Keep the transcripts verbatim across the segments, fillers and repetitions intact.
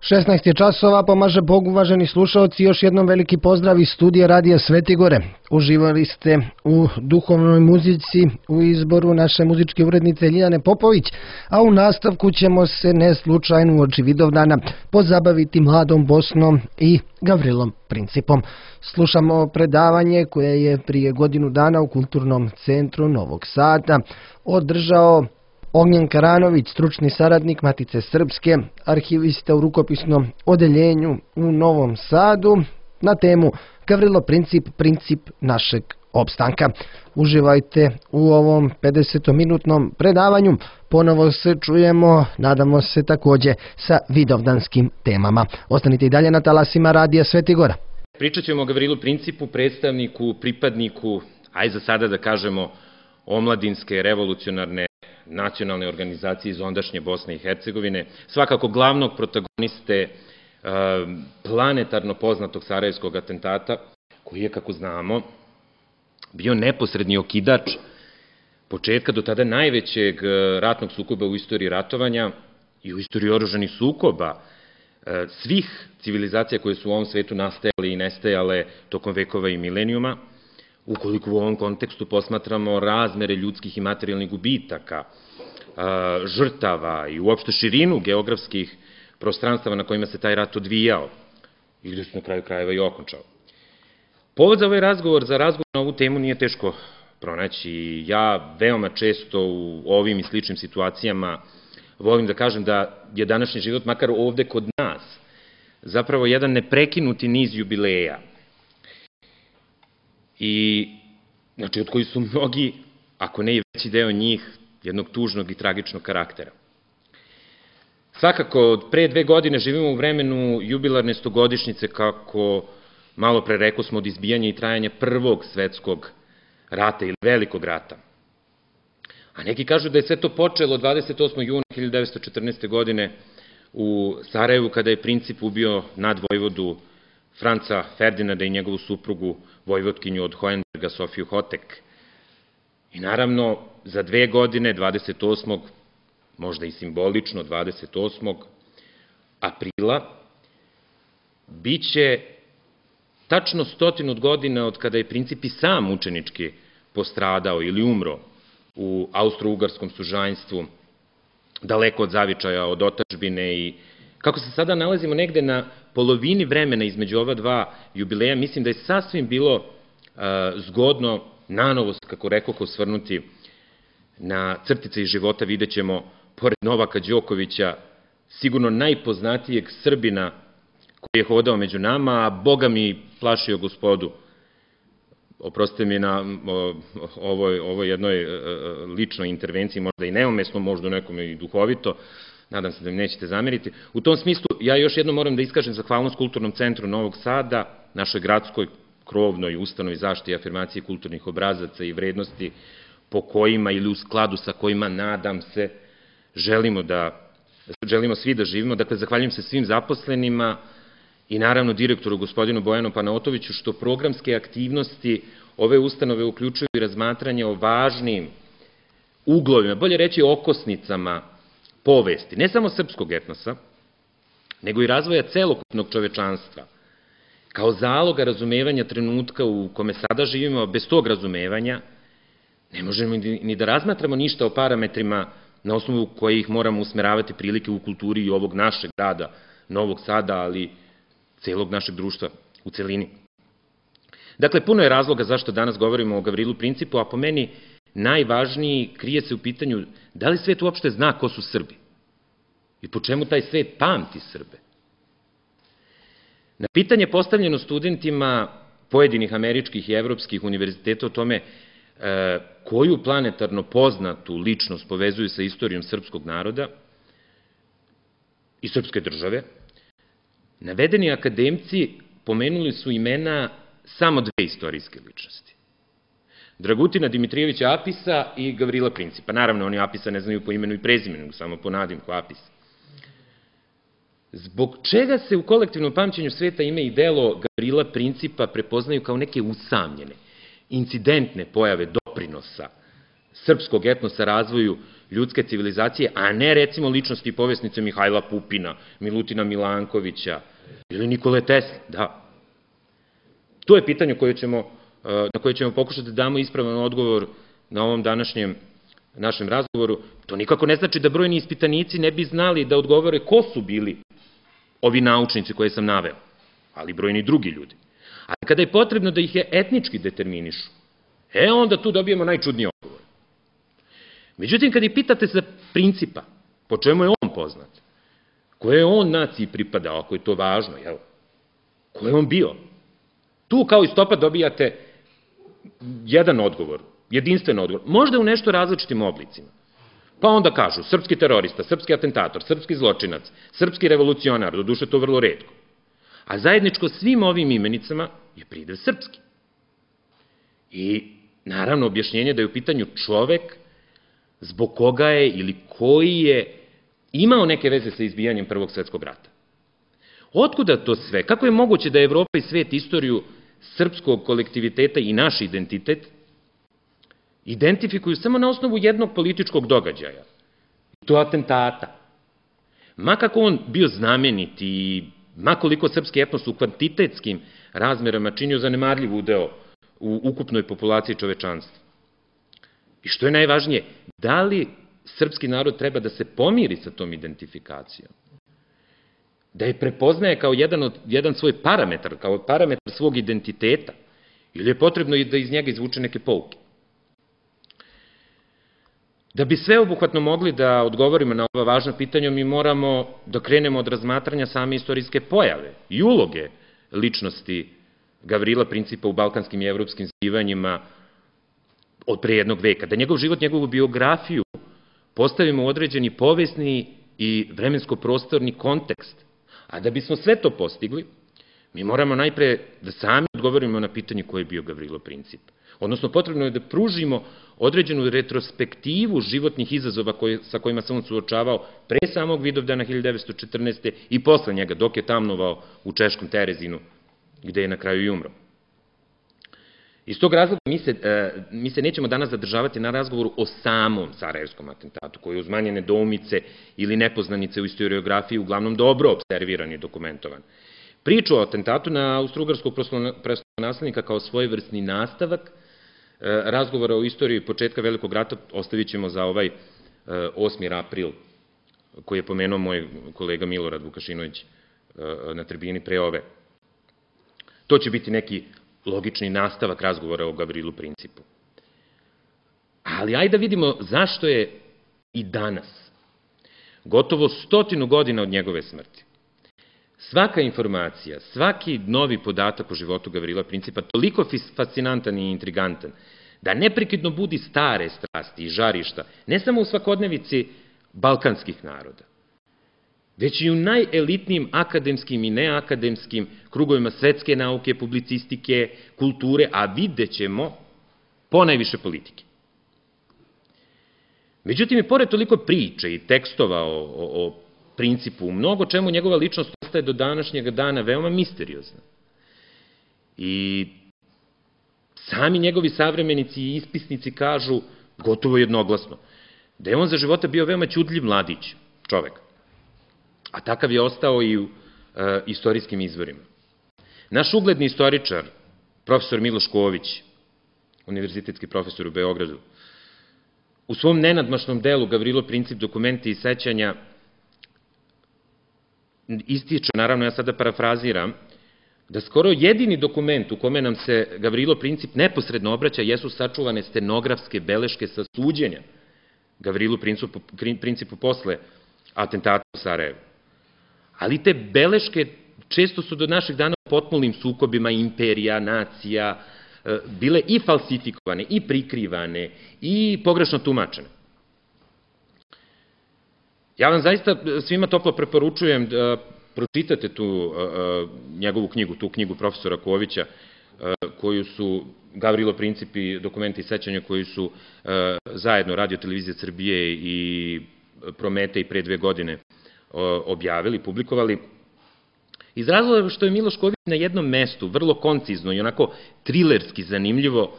šesnaest je časova, pomaže Bog, uvaženi slušalci, još jednom veliki pozdrav iz studija Radija Svete Gore. Uživali ste u duhovnoj muzici u izboru naše muzičke urednice Ljiljane Popović, a u nastavku ćemo se ne slučajno uoči Vidovdana pozabaviti Mladom Bosnom i Gavrilom Principom. Slušamo predavanje koje je prije godinu dana u Kulturnom centru Novog Sada održao Ognjen Karanović, stručni saradnik Matice Srpske, arhivista u rukopisnom odeljenju u Novom Sadu, na temu Gavrilo Princip, princip našeg opstanka. Uživajte u ovom pedesetminutnom predavanju. Ponovo se čujemo, nadamo se također sa vidovdanskim temama. Ostanite i dalje na talasima Radija Sveti Gora. Pričat ćemo o Gavrilu Principu, predstavniku, pripadniku, aj za sada da kažemo, omladinske, revolucionarne nacionalne organizacije iz ondašnje Bosne i Hercegovine, svakako glavnog protagoniste planetarno poznatog sarajevskog atentata, koji je, kako znamo, bio neposredni okidač početka do tada najvećeg ratnog sukoba u istoriji ratovanja i u istoriji oružanih sukoba svih civilizacija koje su u ovom svetu nastajale i nestajale tokom vekova i milenijuma, ukoliko u ovom kontekstu posmatramo razmere ljudskih i materijalnih gubitaka, žrtava i uopšte širinu geografskih prostranstava na kojima se taj rat odvijao i gde se na kraju krajeva i okončao. Povod za ovaj razgovor, za razgovor na ovu temu nije teško pronaći. Ja veoma često u ovim i sličnim situacijama volim da kažem da je današnji život, makar ovde kod nas, zapravo jedan neprekinuti niz jubileja. I, znači, od koji su mnogi, ako ne i veći deo njih, jednog tužnog i tragičnog karaktera. Svakako, od pre dve godine živimo u vremenu jubilarne stogodišnjice, kako malo pre rekao smo, od izbijanja i trajanja Prvog svetskog rata ili Velikog rata. A neki kažu da je sve to počelo dvadeset osmog juna hiljadu devetsto četrnaeste. godine u Sarajevu, kada je Princip ubio nadvojvodu Franca Ferdinanda i njegovu suprugu, vojvodkinju od Hohenberga, Sofiju Hotek. I naravno, za dve godine, dvadeset osmog možda i simbolično dvadeset osmog aprila, bit će tačno stotinu godina od kada je Princip i sam mučenički postradao ili umro u austro-ugarskom sužanjstvu, daleko od zavičaja, od otadžbine. I kako se sada nalazimo negde na polovini vremena između ova dva jubileja, mislim da je sasvim bilo zgodno nanovo, kako rekao, osvrnuti na crtice iz života. Vidjet ćemo, pored Novaka Đokovića, sigurno najpoznatijeg Srbina koji je hodao među nama, a Boga mi plašio gospodu. Oprostite mi na ovoj, ovoj jednoj ličnoj intervenciji, možda i neumesno, možda nekome i duhovito, nadam se da mi nećete zameriti. U tom smislu, ja još jednom moram da iskažem zahvalnost Kulturnom centru Novog Sada, našoj gradskoj krovnoj ustanovi zaštite i afirmacije kulturnih obrazaca i vrednosti po kojima ili u skladu sa kojima, nadam se, želimo da, želimo svi da živimo. Dakle, zahvaljujem se svim zaposlenima i naravno direktoru gospodinu Bojanu Panaotoviću, što programske aktivnosti ove ustanove uključuju i razmatranje o važnim uglovima, bolje reći okosnicama povesti, ne samo srpskog etnosa, nego i razvoja celokupnog čovečanstva, kao zaloga razumevanja trenutka u kome sada živimo. Bez tog razumevanja ne možemo ni da razmatramo ništa o parametrima na osnovu kojih moramo usmeravati prilike u kulturi i ovog našeg grada, Novog Sada, ali celog našeg društva u celini. Dakle, puno je razloga zašto danas govorimo o Gavrilu Principu, a po meni najvažniji krije se u pitanju da li svet uopšte zna ko su Srbi i po čemu taj svet pamti Srbe. Na pitanje postavljeno studentima pojedinih američkih i evropskih univerziteta o tome koju planetarno poznatu ličnost povezuju sa istorijom srpskog naroda i srpske države, navedeni akademci pomenuli su imena samo dve istorijske ličnosti. Dragutina Dimitrijevića Apisa i Gavrila Principa. Naravno, oni Apisa ne znaju po imenu i prezimenu, samo po nadimku Apis. Zbog čega se u kolektivnom pamćenju sveta ime i delo Gavrila Principa prepoznaju kao neke usamljene, incidentne pojave doprinosa srpskog etnosa, razvoju ljudske civilizacije, a ne recimo ličnosti i povjesnice Mihajla Pupina, Milutina Milankovića ili Nikole Tesle, da. To je pitanje koje ćemo, na koje ćemo pokušati da damo ispravan odgovor na ovom današnjem našem razgovoru. To nikako ne znači da brojni ispitanici ne bi znali da odgovore ko su bili ovi naučnici koje sam naveo, ali brojni drugi ljudi. Ali kada je potrebno da ih je etnički determinišu, e onda tu dobijemo najčudniji odgovor. Međutim, kad ih pitate za Principa, po čemu je on poznat, koje je on naciji pripadao, ako je to važno, jel? Ko je on bio? Tu kao istopad dobijate jedan odgovor, jedinstven odgovor, možda u nešto različitim oblicima. Pa onda kažu srpski terorista, srpski atentator, srpski zločinac, srpski revolucionar, doduše to vrlo retko. A zajedničko svim ovim imenicama je pridev srpski. I naravno objašnjenje da je u pitanju čovek zbog koga je ili koji je imao neke veze sa izbijanjem Prvog svetskog rata. Otkuda to sve? Kako je moguće da Evropa i svet istoriju srpskog kolektiviteta i naš identitet identifikuju samo na osnovu jednog političkog događaja, to atentata? Ma kako on bio znamenit i ma koliko srpski etnos u kvantitetskim razmerama činio zanemarljiv udeo u ukupnoj populaciji čovečanstva. I što je najvažnije, da li srpski narod treba da se pomiri sa tom identifikacijom? Da je prepoznaje kao jedan, od, jedan svoj parametar, kao parametar svog identiteta, ili je potrebno i da iz njega izvuče neke pouke? Da bi sveobuhvatno mogli da odgovorimo na ova važna pitanja, mi moramo da krenemo od razmatranja same istorijske pojave i uloge ličnosti Gavrila Principa u balkanskim i evropskim zbivanjima od pre jednog veka. Da njegov život, njegovu biografiju postavimo u određeni povesni i vremensko-prostorni kontekst. A da bismo sve to postigli, mi moramo najpre da sami odgovorimo na pitanje ko je bio Gavrilo Princip. Odnosno, potrebno je da pružimo određenu retrospektivu životnih izazova koje, sa kojima se on suočavao pre samog Vidovdana hiljadu devetsto četrnaeste. i posle njega, dok je tamnovao u češkom Terezinu, gde je na kraju i umro. Iz tog razloga mi se, mi se nećemo danas zadržavati na razgovoru o samom sarajevskom atentatu, koji je uz manje nedoumice ili nepoznanice u istoriografiji uglavnom dobro observiran i dokumentovan. Priču o atentatu na austrougarskog prestolonaslednika kao svojevrsni nastavak razgovora o istoriji početka Velikog rata ostavit ćemo za ovaj osmi april, koji je pomenuo moj kolega Milorad Vukašinović na tribini pre ove. To će biti neki logični nastavak razgovora o Gavrilu Principu. Ali ajde da vidimo zašto je i danas, gotovo stotinu godina od njegove smrti, svaka informacija, svaki novi podatak o životu Gavrila Principa toliko fascinantan i intrigantan, da neprekidno budi stare strasti i žarišta, ne samo u svakodnevici balkanskih naroda, već i u najelitnijim akademskim i neakademskim krugovima svetske nauke, publicistike, kulture, a vidjet ćemo ponajviše politike. Međutim, i pored toliko priče i tekstova o, o, o Principu, u mnogo čemu njegova ličnost ostaje do današnjeg dana veoma misteriozna. I sami njegovi savremenici i ispisnici kažu, gotovo jednoglasno, da je on za života bio veoma ćudljiv mladić, čovek. A takav je ostao i u e, istorijskim izvorima. Naš ugledni istoričar, profesor Miloš Ković, univerzitetski profesor u Beogradu, u svom nenadmašnom delu Gavrilo Princip, dokumenti i sećanja, ističe, naravno ja sada parafraziram, da skoro jedini dokument u kome nam se Gavrilo Princip neposredno obraća jesu sačuvane stenografske beleške sa suđenja Gavrilu Principu, Principu posle atentata u Sarajevu. Ali te beleške često su do naših dana u potpunim sukobima imperija, nacija, bile i falsifikovane, i prikrivane, i pogrešno tumačene. Ja vam zaista svima toplo preporučujem da pročitate tu njegovu knjigu, tu knjigu profesora Kovića, koju su Gavrilo Princip i dokumenti i sećanja koji su zajedno Radio televizije Srbije i Promete i pre dve godine objavili, publikovali. Iz razloga što je Miloš Ković na jednom mestu, vrlo koncizno i onako trilerski zanimljivo,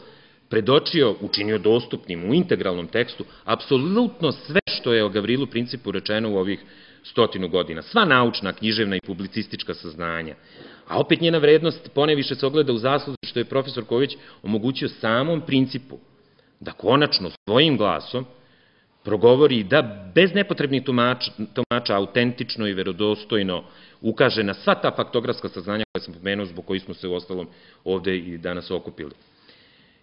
predočio, učinio dostupnim u integralnom tekstu apsolutno sve što je o Gavrilu Principu rečeno u ovih stotinu godina. Sva naučna, književna i publicistička saznanja. A opet njena vrednost poneviše se ogleda u zasluzi što je profesor Ković omogućio samom Principu da konačno svojim glasom progovori da bez nepotrebnih tumača, tumača autentično i verodostojno ukaže na sva ta faktografska saznanja koje sam pomenuo, zbog kojih smo se u ostalom ovde i danas okupili.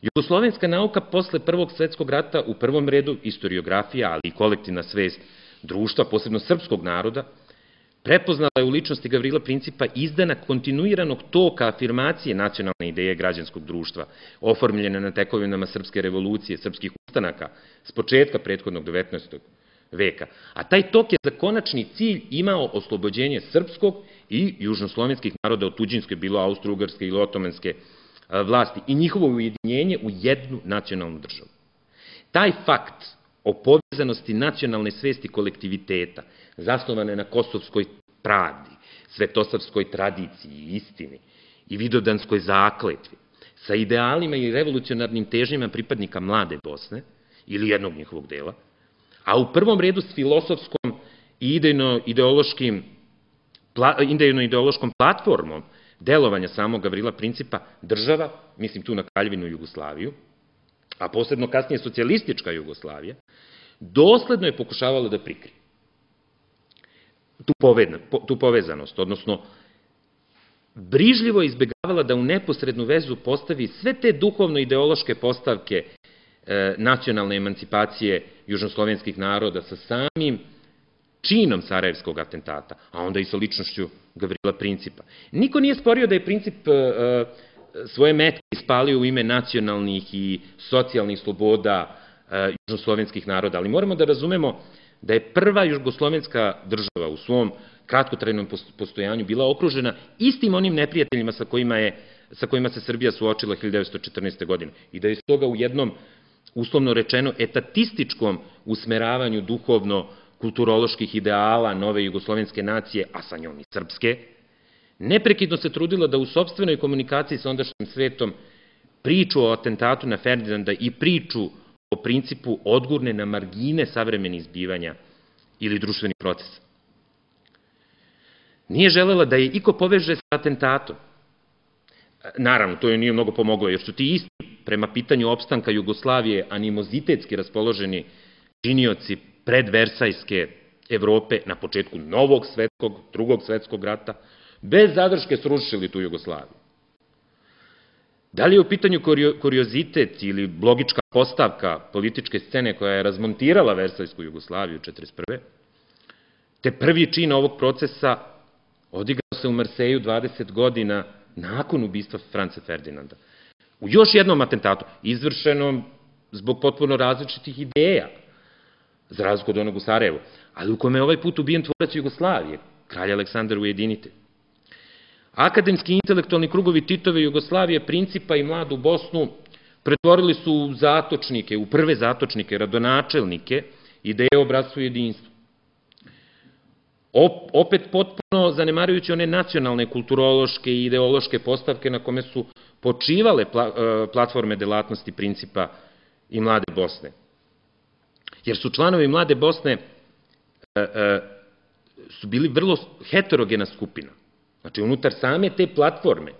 Jugoslovenska nauka posle Prvog svetskog rata, u prvom redu istoriografija, ali i kolektivna svest društva, posebno srpskog naroda, prepoznala je u ličnosti Gavrila Principa izdanak kontinuiranog toka afirmacije nacionalne ideje građanskog društva, oformljene na tekovinama srpske revolucije, srpskih ustanaka, s početka prethodnog devetnaestog veka. A taj tok je za konačni cilj imao oslobođenje srpskog i južnoslovenskih naroda od tuđinske, bilo austro-ugarske ili otomanske vlasti, i njihovo ujedinjenje u jednu nacionalnu državu. Taj fakt o povezanosti nacionalne svesti kolektiviteta, zasnovane na kosovskoj pravdi, svetosavskoj tradiciji i istini i vidodanskoj zakletvi, sa idealima i revolucionarnim težnjama pripadnika mlade Bosne, ili jednog njihovog dela, a u prvom redu s filosofskom i idejno-ideološkim idejno-ideološkom platformom delovanja samog Gavrila Principa, država, mislim tu na Kraljevinu Jugoslaviju, a posebno kasnije socijalistička Jugoslavija, dosledno je pokušavala da prikrije tu povezanost, odnosno brižljivo je izbegavala da u neposrednu vezu postavi sve te duhovno-ideološke postavke nacionalne emancipacije južnoslovenskih naroda sa samim činom Sarajevskog atentata, a onda i sa ličnošću Gavrila Principa. Niko nije sporio da je Princip svoje metke ispalio u ime nacionalnih i socijalnih sloboda južnoslovenskih naroda, ali moramo da razumemo da je prva jugoslovenska država u svom kratkotrajnom postojanju bila okružena istim onim neprijateljima sa kojima, je, sa kojima se Srbija suočila hiljadu devetsto četrnaeste. godine i da je stoga u jednom, uslovno rečeno, etatističkom usmeravanju duhovno-kulturoloških ideala nove jugoslovenske nacije, a sa njom i srpske, neprekidno se trudila da u sopstvenoj komunikaciji sa ondašnjim svetom priču o atentatu na Ferdinanda i priču o Principu odgurne na margine savremenih zbivanja ili društvenih procesa. Nije želela da je iko poveže sa atentatom. Naravno, to joj nije mnogo pomoglo, jer su ti isti prema pitanju opstanka Jugoslavije animozitetski raspoloženi činioci predversajske Evrope na početku novog svetskog, drugog svetskog rata, bez zadrške srušili tu Jugoslaviju. Da li je u pitanju kuriozitet ili logička postavka političke scene koja je razmontirala Versajsku Jugoslaviju četrdeset prve. te prvi čin ovog procesa odigrao se u Marseju dvadeset godina nakon ubistva Franca Ferdinanda. U još jednom atentatu, izvršenom zbog potpuno različitih ideja, za razliku od onog u Sarajevu, ali u kome je ovaj put ubijen tvorac Jugoslavije, kralj Aleksandar Ujedinitelj. Akademski i intelektualni krugovi Titove Jugoslavije, Principa i Mladu Bosnu pretvorili su u zatočnike, u prve zatočnike, radonačelnike ideje o bratstvu i jedinstvu. Opet potpuno zanemarujući one nacionalne, kulturološke i ideološke postavke na kome su počivale platforme delatnosti Principa i Mlade Bosne. Jer su članovi Mlade Bosne su bili vrlo heterogena skupina. Znači, unutar same te platforme,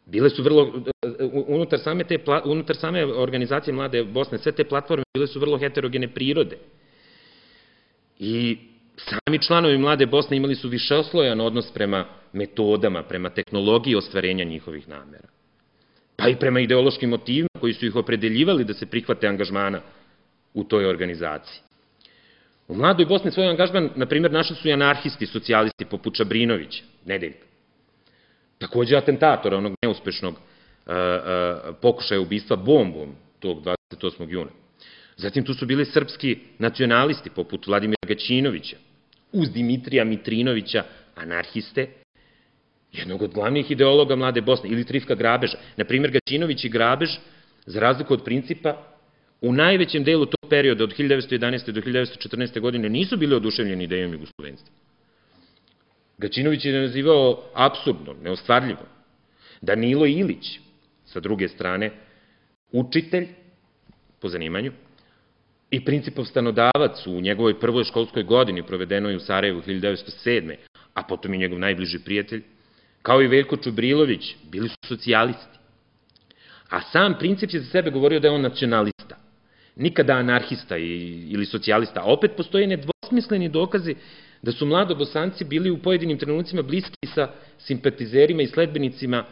bile su vrlo, unutar same, te, unutar same organizacije Mlade Bosne, sve te platforme bile su vrlo heterogene prirode. I sami članovi Mlade Bosne imali su višeslojan odnos prema metodama, prema tehnologiji ostvarenja njihovih namera. Pa i prema ideološkim motivima koji su ih opredeljivali da se prihvate angažmana u toj organizaciji. U Mladoj Bosni svoj angažman, na primjer, našli su i anarhisti, socijalisti poput Čabrinovića, Nedeljka. Takođe atentatora, onog neuspešnog pokušaja ubistva bombom tog dvadeset osmog juna. Zatim tu su bili srpski nacionalisti poput Vladimira Gaćinovića, uz Dimitrija Mitrinovića, anarhiste, jednog od glavnih ideologa Mlade Bosne, ili Trifka Grabeža. Na primjer, Gaćinović i Grabež, za razliku od Principa, u najvećem delu tog perioda od hiljadu devetsto jedanaeste do hiljadu devetsto četrnaeste. godine nisu bili oduševljeni idejom jugoslovenstva. Gaćinović je nazivao apsurdnom, neostvarljivom. Danilo Ilić, sa druge strane, učitelj po zanimanju i Principov stanodavac u njegovoj prvoj školskoj godini provedenoj u Sarajevu hiljadu devetsto sedme. a potom i njegov najbliži prijatelj, kao i Veljko Čubrilović, bili su socijalisti. A sam Princip je za sebe govorio da je on nacionalista, nikada anarhista ili socijalista. A opet postoje nedvosmisleni dokazi da su mladobosanci bili u pojedinim trenucima bliski sa simpatizerima i sledbenicima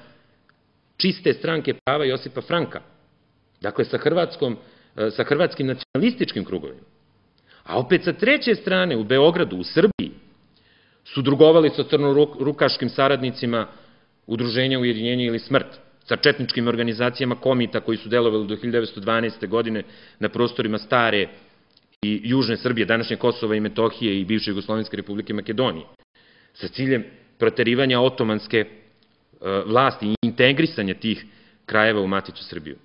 čiste stranke prava Josipa Franka. Dakle, sa, hrvatskom, sa hrvatskim nacionalističkim krugovima. A opet sa treće strane, u Beogradu, u Srbiji, su drugovali sa crnorukaškim saradnicima Udruženja Ujedinjenje ili smrt, sa četničkim organizacijama komita koji su delovali do hiljadu devetsto dvanaeste. godine na prostorima stare i južne Srbije, današnje Kosova i Metohije i bivše Jugoslovenske republike Makedonije, sa ciljem proterivanja otomanske vlasti i integrisanja tih krajeva u Maticu Srbiju.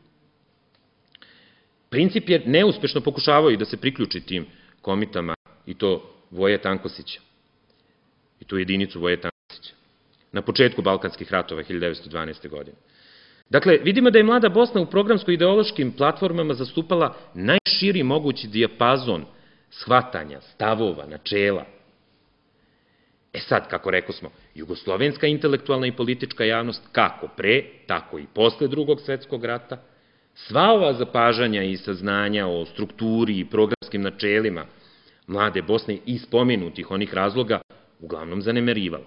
Princip je neuspešno pokušavao i da se priključi tim komitama, i to Voje Tankosića, i tu jedinicu Voje Tankosića, na početku Balkanskih ratova hiljadu devetsto dvanaeste. godine. Dakle, vidimo da je Mlada Bosna u programsko-ideološkim platformama zastupala najširi mogući dijapazon shvatanja, stavova, načela. E sad, kako rekao smo, jugoslovenska intelektualna i politička javnost, kako pre, tako i posle drugog svetskog rata, sva ova zapažanja i saznanja o strukturi i programskim načelima Mlade Bosne i spomenutih onih razloga uglavnom zanemerivala.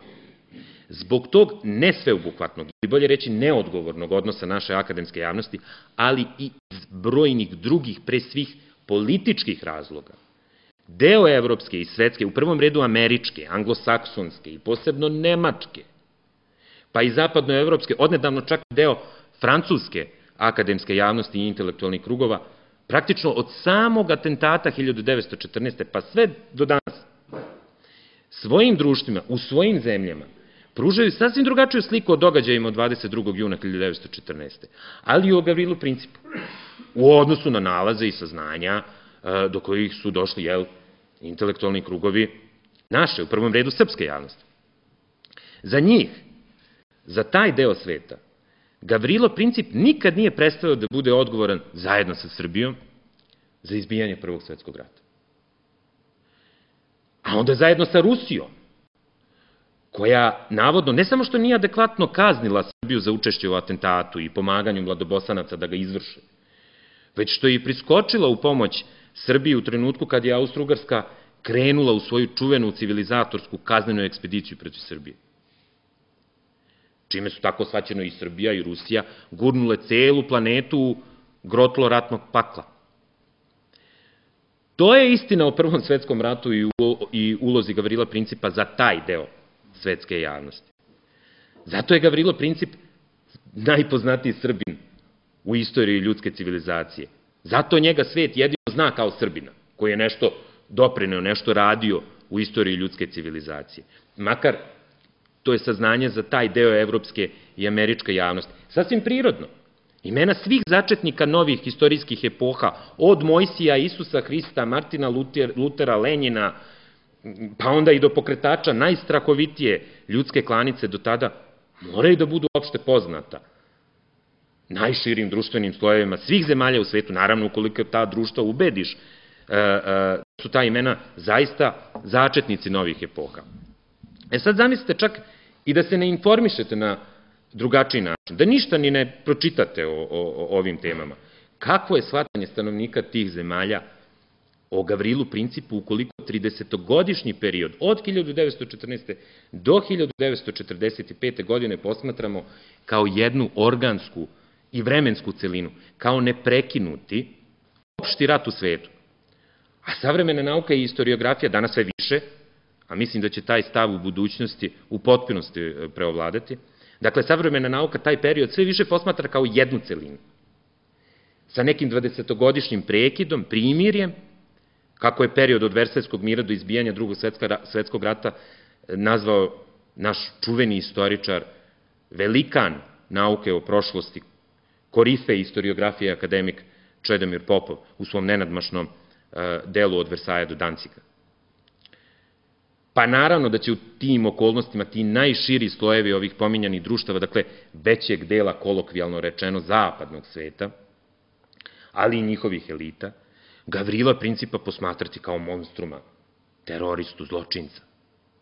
Zbog tog nesveobuhvatnog, ili bolje reći neodgovornog odnosa naše akademske javnosti, ali i iz brojnih drugih, pre svih političkih razloga, deo evropske i svetske, u prvom redu američke, anglosaksonske i posebno nemačke, pa i zapadnoevropske, odnedavno čak deo francuske akademske javnosti i intelektualnih krugova, praktično od samog atentata hiljadu devetsto četrnaeste. pa sve do danas, svojim društvima, u svojim zemljama, pružaju sasvim drugačiju sliku o događajima od dvadeset drugog juna hiljadu devetsto četrnaeste. ali i o Gavrilu Principu, u odnosu na nalaze i saznanja do kojih su došli, jel, intelektualni krugovi naše, u prvom redu srpske javnosti. Za njih, za taj deo sveta, Gavrilo Princip nikad nije prestao da bude odgovoran zajedno sa Srbijom za izbijanje Prvog svetskog rata. A onda zajedno sa Rusijom, koja navodno ne samo što nije adekvatno kaznila Srbiju za učešće u atentatu i pomaganju mladobosanaca da ga izvrše, već što je i priskočila u pomoć Srbiji u trenutku kad je Austro-Ugarska krenula u svoju čuvenu civilizatorsku kaznenu ekspediciju protiv Srbije. Čime su tako shvaćeno i Srbija i Rusija gurnule celu planetu u grotlo ratnog pakla. To je istina o Prvom svetskom ratu i ulozi Gavrila Principa za taj deo svetske javnosti. Zato je Gavrilo Princip najpoznatiji Srbin u istoriji ljudske civilizacije. Zato njega svet jedino zna kao Srbina, koji je nešto doprineo, nešto radio u istoriji ljudske civilizacije. Makar to je saznanje za taj deo evropske i američke javnosti. Sasvim prirodno. Imena svih začetnika novih istorijskih epoha, od Mojsija, Isusa Hrista, Martina Lutera, Lenjina, pa onda i do pokretača najstrahovitije ljudske klanice do tada, moraju da budu opšte poznata najširim društvenim slojevima svih zemalja u svetu, naravno ukoliko ta društva ubediš da su ta imena zaista začetnici novih epoha. E sad zamislite čak i da se ne informišete na drugačiji način, da ništa ni ne pročitate o, o, o ovim temama. Kakvo je shvatanje stanovnika tih zemalja o Gavrilu Principu ukoliko tridesetogodišnji period od hiljadu devetsto četrnaeste. do hiljadu devetsto četrdeset pete. godine posmatramo kao jednu organsku i vremensku celinu, kao neprekinuti opšti rat u svetu. A savremena nauka i historiografija danas sve više, a mislim da će taj stav u budućnosti u potpunosti preovladati, dakle, savremena nauka taj period sve više posmatra kao jednu celinu, sa nekim dvadesetogodišnjim prekidom, primirjem, kako je period od Versajskog mira do izbijanja Drugog svetskog rata nazvao naš čuveni istoričar, velikan nauke o prošlosti, korife istoriografije akademik Čedomir Popov u svom nenadmašnom delu od Versaja do Danciga. Pa naravno da će u tim okolnostima ti najširi slojevi ovih pominjanih društava, dakle većeg dela kolokvijalno rečeno zapadnog sveta, ali i njihovih elita, Gavrila Principa posmatrati kao monstruma, teroristu, zločinca.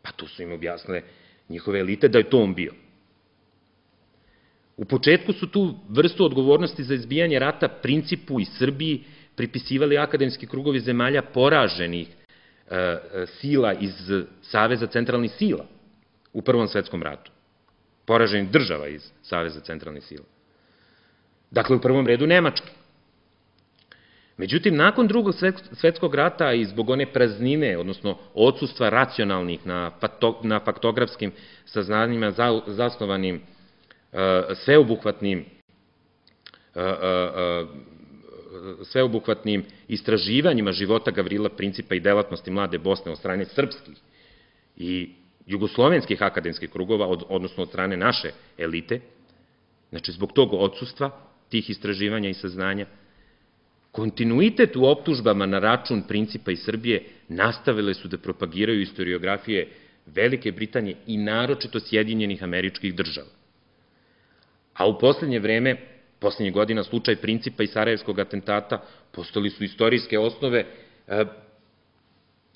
Pa to su im objasnile njihove elite da je to on bio. U početku su tu vrstu odgovornosti za izbijanje rata Principu i Srbiji pripisivali akademski krugovi zemalja poraženih e, sila iz Saveza centralnih sila u Prvom svetskom ratu. Poraženih država iz Saveza centralnih sila. Dakle, u prvom redu Nemačke. Međutim, nakon Drugog svetskog rata i zbog one praznine, odnosno odsustva racionalnih na, na faktografskim saznanjima za, zasnovanim uh, sveobuhvatnim uh, uh, sveobuhvatnim istraživanjima života Gavrila Principa i delatnosti mlade Bosne od strane srpskih i jugoslovenskih akademskih krugova, od, odnosno od strane naše elite, znači zbog tog odsustva, tih istraživanja i saznanja, kontinuitet u optužbama na račun Principa i Srbije nastavile su da propagiraju istoriografije Velike Britanije i naročito Sjedinjenih Američkih Država. A u poslednje vreme, poslednje godina, slučaj Principa i Sarajevskog atentata postali su istorijske osnove e,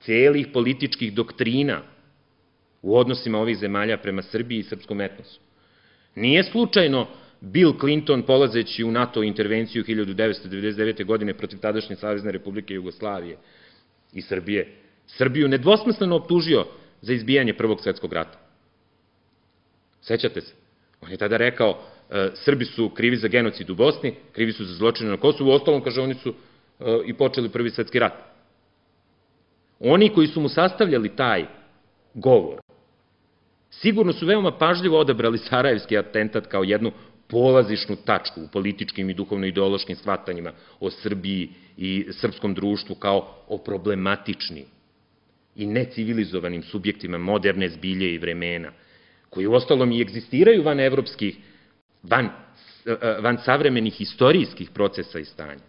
celih političkih doktrina u odnosima ovih zemalja prema Srbiji i srpskom etnosu. Nije slučajno Bill Clinton, polazeći u NATO intervenciju hiljadu devetsto devedeset devete. godine protiv tadašnje Savezne Republike Jugoslavije i Srbije, Srbiju nedvosmisleno optužio za izbijanje Prvog svetskog rata. Sećate se? On je tada rekao, e, Srbi su krivi za genocid u Bosni, krivi su za zločine na Kosovu, u ostalom, kaže, oni su e, i počeli Prvi svetski rat. Oni koji su mu sastavljali taj govor, sigurno su veoma pažljivo odabrali Sarajevski atentat kao jednu polazišnu tačku u političkim i duhovno-ideološkim shvatanjima o Srbiji i srpskom društvu kao o problematičnim i necivilizovanim subjektima moderne zbilje i vremena, koji u ostalom i egzistiraju van evropskih, van, van savremenih istorijskih procesa i stanja.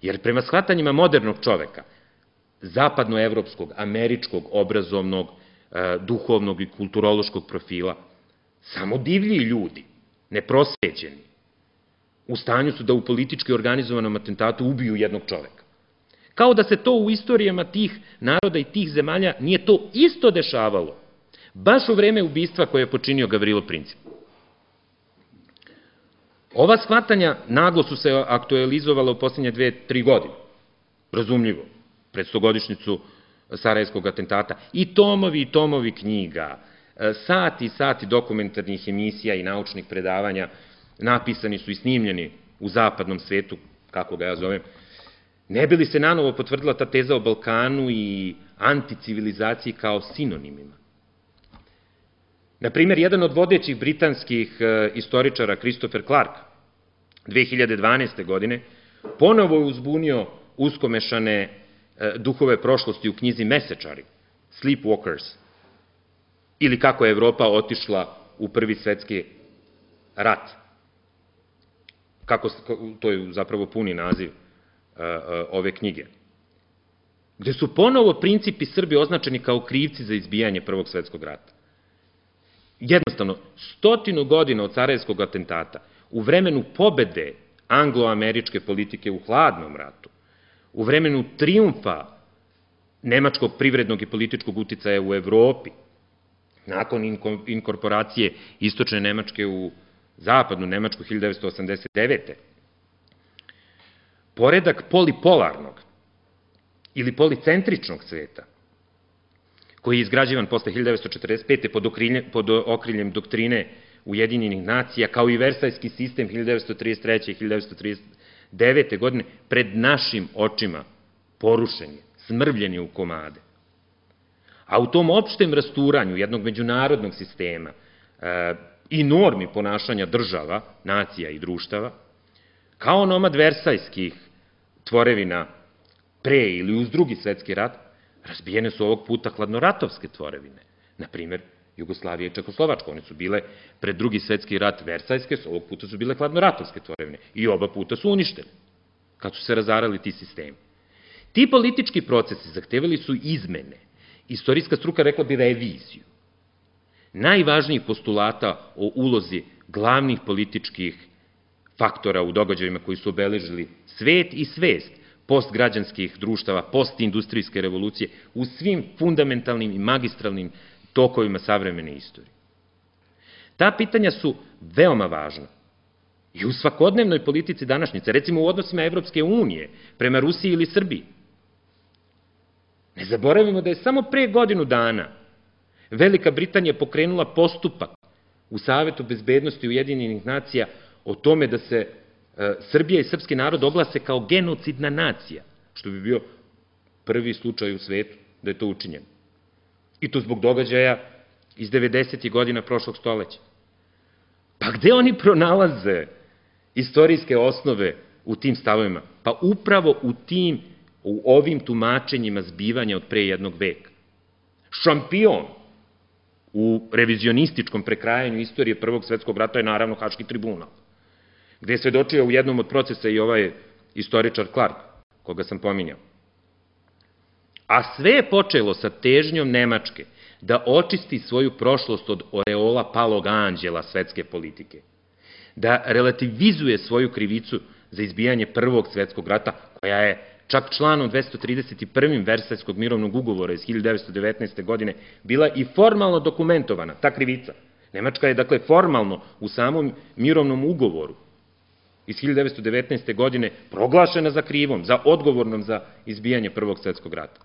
Jer prema shvatanjima modernog čoveka, zapadnoevropskog, američkog, obrazovnog, duhovnog i kulturološkog profila, samo divlji ljudi, neprosvećeni, u stanju su da u politički organizovanom atentatu ubiju jednog čoveka. Kao da se to u istorijama tih naroda i tih zemalja nije to isto dešavalo, baš u vreme ubistva koje je počinio Gavrilo Princip. Ova shvatanja naglo su se aktualizovala u posljednje dve, tri godine, razumljivo, pred stogodišnjicu Sarajevskog atentata, i tomovi i tomovi knjiga, sati i sati dokumentarnih emisija i naučnih predavanja napisani su i snimljeni u zapadnom svetu, kako ga ja zovem, ne bi li se nanovo potvrdila ta teza o Balkanu i anticivilizaciji kao sinonimima. Naprimer, jedan od vodećih britanskih istoričara, Christopher Clark, dve hiljade dvanaeste. godine, ponovo je uzbunio uskomešane duhove prošlosti u knjizi Mesečari, Sleepwalkers, ili kako je Evropa otišla u Prvi svetski rat. Kako, to je zapravo puni naziv ove knjige. Gde su ponovo Princip i Srbi označeni kao krivci za izbijanje Prvog svetskog rata. Jednostavno, stotinu godina od Sarajevskog atentata, u vremenu pobede anglo-američke politike u hladnom ratu, u vremenu trijumfa nemačkog privrednog i političkog uticaja u Evropi, nakon inkorporacije istočne Nemačke u zapadnu Nemačku hiljadu devetsto osamdeset devete. Poredak polipolarnog ili policentričnog sveta, koji je izgrađivan posle hiljadu devetsto četrdeset pete. pod, okriljem, pod okriljem doktrine Ujedinjenih nacija, kao i Versajski sistem hiljadu devetsto trideset treće. i hiljadu devetsto trideset devete. godine, pred našim očima porušen je, smrvljen je u komade. A u tom opštem rasturanju jednog međunarodnog sistema e, i normi ponašanja država, nacija i društava, kao onomad versajskih tvorevina pre ili uz Drugi svetski rat, razbijene su ovog puta hladnoratovske tvorevine. Naprimer, Jugoslavija i Čekoslovačka, one su bile pred Drugi svetski rat versajske, ovog puta su bile hladnoratovske tvorevine i oba puta su uništene, kad su se razarali ti sistemi. Ti politički procesi zahtevali su izmene, istorijska struka rekla bi reviziju, najvažnijih postulata o ulozi glavnih političkih faktora u događajima koji su obeležili svet i svest postgrađanskih društava, postindustrijske revolucije u svim fundamentalnim i magistralnim tokovima savremene istorije. Ta pitanja su veoma važna i u svakodnevnoj politici današnjice, recimo u odnosima Evropske unije prema Rusiji ili Srbiji. Ne zaboravimo da je samo pre godinu dana Velika Britanija pokrenula postupak u Savetu bezbednosti Ujedinjenih nacija o tome da se Srbija i srpski narod oglase kao genocidna nacija, što bi bio prvi slučaj u svetu da je to učinjeno. I to zbog događaja iz devedesetih godina prošlog stoleća. Pa gde oni pronalaze istorijske osnove u tim stavovima? Pa upravo u tim, u ovim tumačenjima zbivanja od pre jednog veka. Šampion u revizionističkom prekrajanju istorije Prvog svetskog rata je naravno Haški tribunal, gde je svedočio u jednom od procesa i ovaj istoričar Clark, koga sam pominjao. A sve je počelo sa težnjom Nemačke da očisti svoju prošlost od oreola palog anđela svetske politike, da relativizuje svoju krivicu za izbijanje Prvog svetskog rata, koja je čak članom dvesta trideset jedan. Versajskog mirovnog ugovora iz hiljadu devetsto devetnaeste. godine bila i formalno dokumentovana, ta krivica. Nemačka je, dakle, formalno u samom mirovnom ugovoru iz hiljadu devetsto devetnaeste. godine proglašena za krivom, za odgovornom za izbijanje Prvog svetskog rata.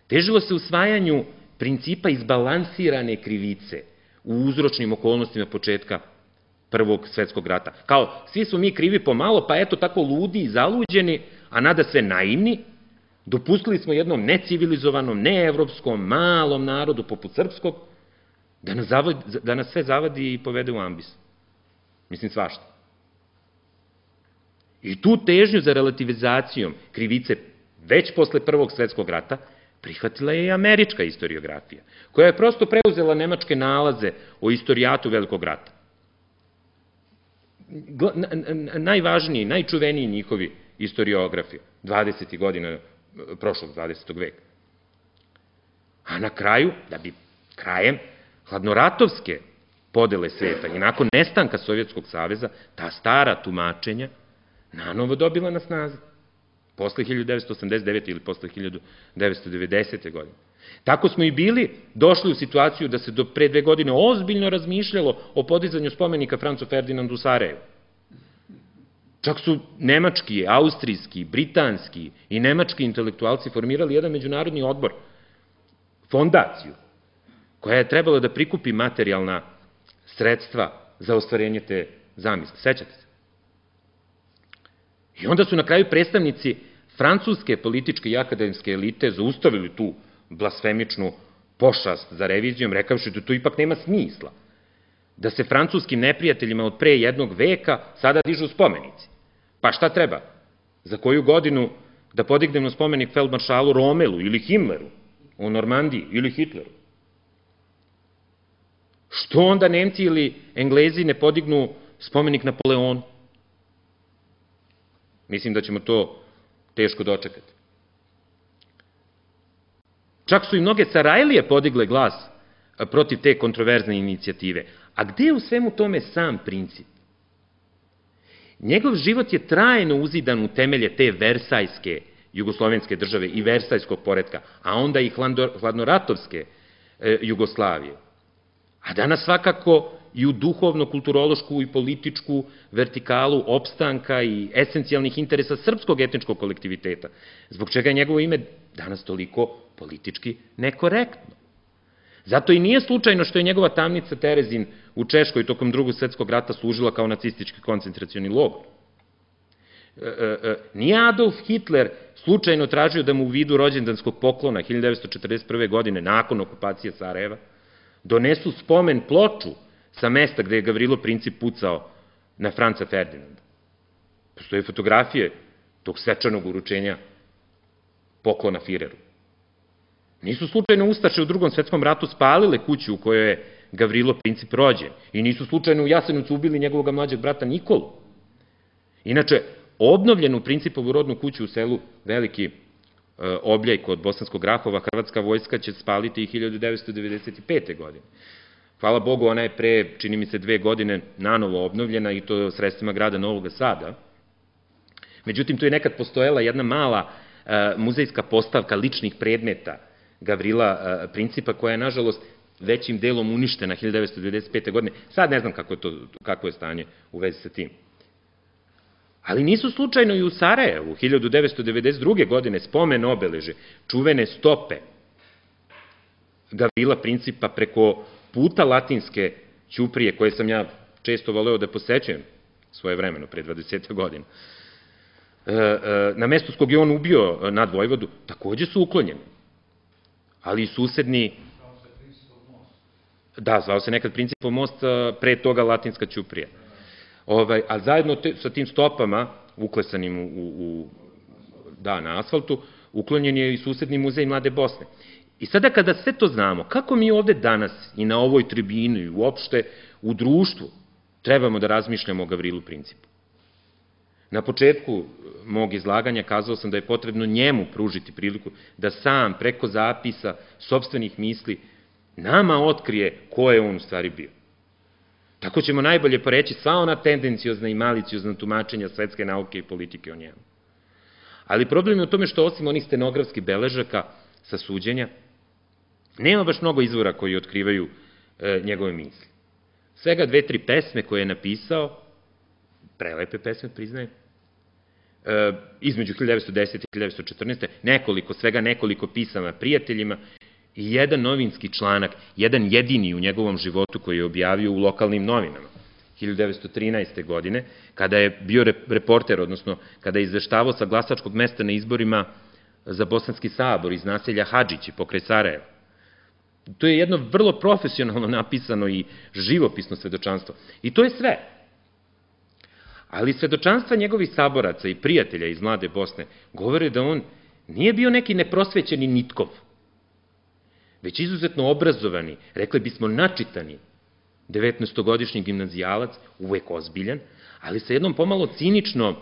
Težilo se usvajanju principa izbalansirane krivice u uzročnim okolnostima početka Prvog svetskog rata. Kao, svi smo mi krivi pomalo, pa eto tako ludi i zaluđeni, a nada sve naivni, dopustili smo jednom necivilizovanom, neevropskom, malom narodu poput srpskog da nas, zavadi, da nas sve zavadi i povede u ambis. Mislim, svašta. I tu težnju za relativizacijom krivice već posle Prvog svetskog rata prihvatila je i američka historiografija, koja je prosto preuzela nemačke nalaze o istorijatu Velikog rata. Najvažniji, najčuveniji njihovi historiografi dvadesetih godina prošlog dvadesetog veka. A na kraju, da bi krajem hladnoratovske podele sveta i nakon nestanka Sovjetskog saveza, ta stara tumačenja nanovo dobila na snazi. Posle hiljadu devetsto osamdeset devete. ili posle hiljadu devetsto devedesete. godine. Tako smo i bili došli u situaciju da se do pre dve godine ozbiljno razmišljalo o podizanju spomenika Francu Ferdinandu u Sarajevu. Čak su nemački, austrijski, britanski i nemački intelektualci formirali jedan međunarodni odbor, fondaciju, koja je trebala da prikupi materijalna sredstva za ostvarenje te zamisli. Sećate se? I onda su na kraju predstavnici francuske političke i akademske elite zaustavili tu blasfemičnu pošast za revizijom, rekavši da to ipak nema smisla, da se francuskim neprijateljima od pre jednog veka sada dižu spomenici. Pa šta treba? Za koju godinu da podignemo spomenik feldmaršalu Romelu ili Himmleru u Normandiji ili Hitleru? Što onda Nemci ili Englezi ne podignu spomenik Napoleonu? Mislim da ćemo to teško dočekati. Čak su i mnoge Sarajlije podigle glas protiv te kontroverzne inicijative. A gde je u svemu tome sam princip? Njegov život je trajno uzidan u temelje te versajske jugoslovenske države i versajskog poretka, a onda i hladnoratovske Jugoslavije. A danas svakako i u duhovno-kulturološku i političku vertikalu opstanka i esencijalnih interesa srpskog etničkog kolektiviteta, zbog čega je njegovo ime danas toliko politički nekorektno. Zato i nije slučajno što je njegova tamnica Terezin u Češkoj tokom Drugog svetskog rata služila kao nacistički koncentracioni logor. Nije Adolf Hitler slučajno tražio da mu u vidu rođendanskog poklona hiljadu devetsto četrdeset prve. godine, nakon okupacije Sarajeva, donesu spomen ploču sa mesta gde je Gavrilo Princip pucao na Franca Ferdinanda. Postoje fotografije tog svečanog uručenja poklona Fireru. Nisu slučajno Ustaše u Drugom svetskom ratu spalile kuću u kojoj je Gavrilo Princip rođen i nisu slučajno u Jasenovcu ubili njegovog mlađeg brata Nikolu. Inače, obnovljenu Principovu rodnu kuću u selu Veliki Obljaj kod Bosanskog Grahova hrvatska vojska će spaliti i hiljadu devetsto devedeset pete. godine. hvala Bogu, ona je pre, čini mi se, dve godine nanovo obnovljena i to sredstvima grada Novog Sada. Međutim, tu je nekad postojala jedna mala muzejska postavka ličnih predmeta Gavrila Principa, koja je, nažalost, većim delom uništena hiljadu devetsto devedeset pete. godine. Sad ne znam kako je, to, kako je stanje u vezi sa tim. Ali nisu slučajno i u Sarajevu, hiljadu devetsto devedeset druge. godine, spomen obeleže, čuvene stope Gavrila Principa preko puta Latinske ćuprije, koje sam ja često voleo da posećujem svoje vremeno, pre dvadeset godina, na mesto s kog je on ubio nad Vojvodu, takođe su uklonjeni. Ali i susedni... Da, zvao se nekad Principov most, pre toga Latinska ćuprija. A zajedno sa tim stopama, uklesanim u, da, na asfaltu, uklonjen je i susedni muzej Mlade Bosne. I sada kada sve to znamo, kako mi ovde danas i na ovoj tribini i uopšte u društvu trebamo da razmišljamo o Gavrilu Principu? Na početku mog izlaganja kazao sam da je potrebno njemu pružiti priliku da sam preko zapisa sopstvenih misli nama otkrije ko je on u stvari bio. Tako ćemo najbolje poreći sva ona tendenciozna i maliciozna tumačenja svetske nauke i politike o njemu. Ali problem je u tome što osim onih stenografskih beležaka sa suđenja, nema baš mnogo izvora koji otkrivaju njegove misli. Svega dve, tri pesme koje je napisao, prelepe pesme, priznajem, između hiljadu devetsto desete i hiljadu devetsto četrnaeste. nekoliko, svega nekoliko pisama prijateljima i jedan novinski članak, jedan jedini u njegovom životu koji je objavio u lokalnim novinama hiljadu devetsto trinaeste. godine, kada je bio reporter, odnosno kada je izveštavao sa glasačkog mesta na izborima za Bosanski sabor iz naselja Hadžići pokraj Sarajeva. To je jedno vrlo profesionalno napisano i živopisno svedočanstvo. I to je sve. Ali svedočanstva njegovih saboraca i prijatelja iz Mlade Bosne govore da on nije bio neki neprosvećeni nitkov, već izuzetno obrazovani, rekli bismo načitani, devetnaestogodišnji gimnazijalac, uvek ozbiljan, ali sa jednom pomalo ciničnom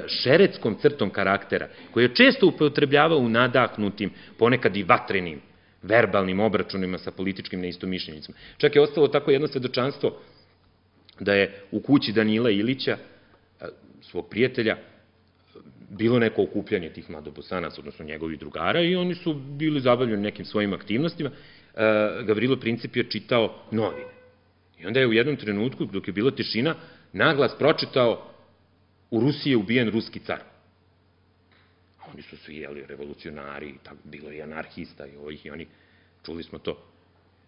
šereckom crtom karaktera, koji je često upotrebljavao u nadahnutim, ponekad i vatrenim, verbalnim obračunima sa političkim neistomišljenicima. Čak je ostalo tako jedno svedočanstvo da je u kući Danila Ilića, svog prijatelja, bilo neko okupljanje tih mladobosanaca, odnosno njegovih drugara, i oni su bili zabavljeni nekim svojim aktivnostima. Gavrilo Princip je čitao novine. I onda je u jednom trenutku, dok je bila tišina, naglas pročitao: u Rusiji je ubijen ruski car. A oni su svi, jeli, revolucionari, bilo je i anarhista i ovih i oni, čuli smo to.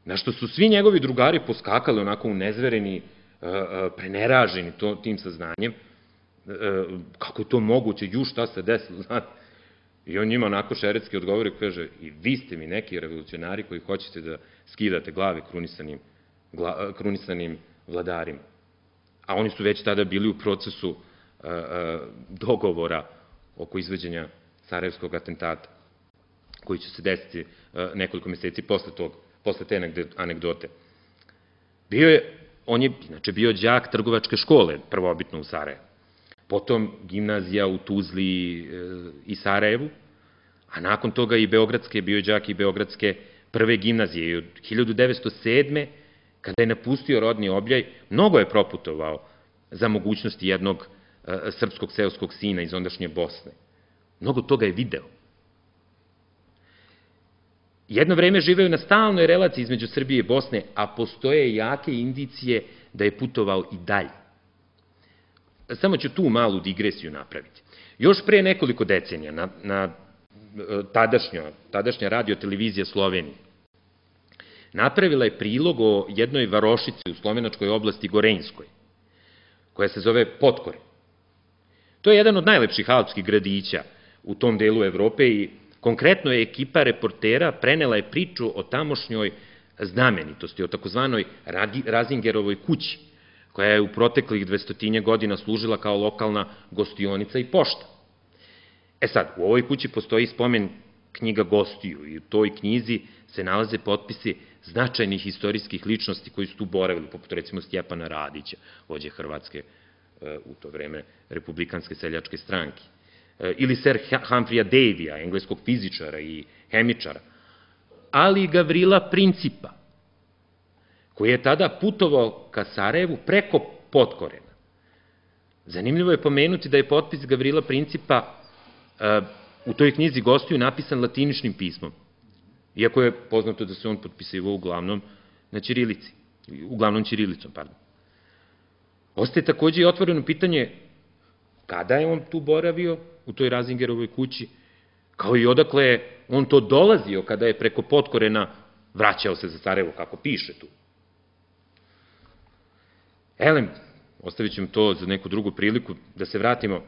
Na što su svi njegovi drugari poskakali onako unezvereni, preneraženi tim saznanjem, kako je to moguće, ju šta se desilo, znate. I on njima onako šeretski odgovori, kaže: i vi ste mi neki revolucionari koji hoćete da skidate glave krunisanim vladarima. A oni su već tada bili u procesu dogovora oko izveđenja sarajevskog atentata, koji će se desiti nekoliko meseci posle te anegdote. Bio je, on je inače bio đak trgovačke škole, prvobitno u Sarajevu, potom gimnazija u Tuzli i Sarajevu, a nakon toga i beogradske, bio je đak i beogradske prve gimnazije. I od hiljadu devetsto sedme. kada je napustio rodni objaj, mnogo je proputovao za mogućnosti jednog srpskog seoskog sina iz ondašnje Bosne. Mnogo toga je video. Jedno vreme živeo na stalnoj relaciji između Srbije i Bosne, a postoje jake indicije da je putovao i dalje. Samo ću tu malu digresiju napraviti. Još pre nekoliko decenija na, na tadašnja radio-televizija Slovenije napravila je prilog o jednoj varošici u slovenačkoj oblasti Gorenjskoj, koja se zove Potkore. To je jedan od najlepših alpskih gradića u tom delu Evrope i konkretno je ekipa reportera prenela je priču o tamošnjoj znamenitosti, o takozvanoj Razingerovoj kući, koja je u proteklih dvestotinje godina služila kao lokalna gostionica i pošta. E sad, u ovoj kući postoji spomen knjiga gostiju i u toj knjizi se nalaze potpisi značajnih istorijskih ličnosti koji su tu boravili, poput recimo Stjepana Radića, vođe Hrvatske u to vreme Republikanske seljačke stranke, ili Sir Humphreya Davyja, engleskog fizičara i hemičara, ali i Gavrila Principa, koji je tada putovao ka Sarajevu preko Potkorena. Zanimljivo je pomenuti da je potpis Gavrila Principa u toj knjizi Gostuju napisan latiničnim pismom, iako je poznato da se on potpisivao uglavnom na ćirilici, uglavnom ćirilicom, pardon. Ostaje takođe i otvoreno pitanje kada je on tu boravio, u toj Razingerovoj kući, kao i odakle je on to dolazio kada je preko Potkorena vraćao se za Sarajevo, kako piše tu. Elem, ostavit ćemo to za neku drugu priliku, da se vratimo.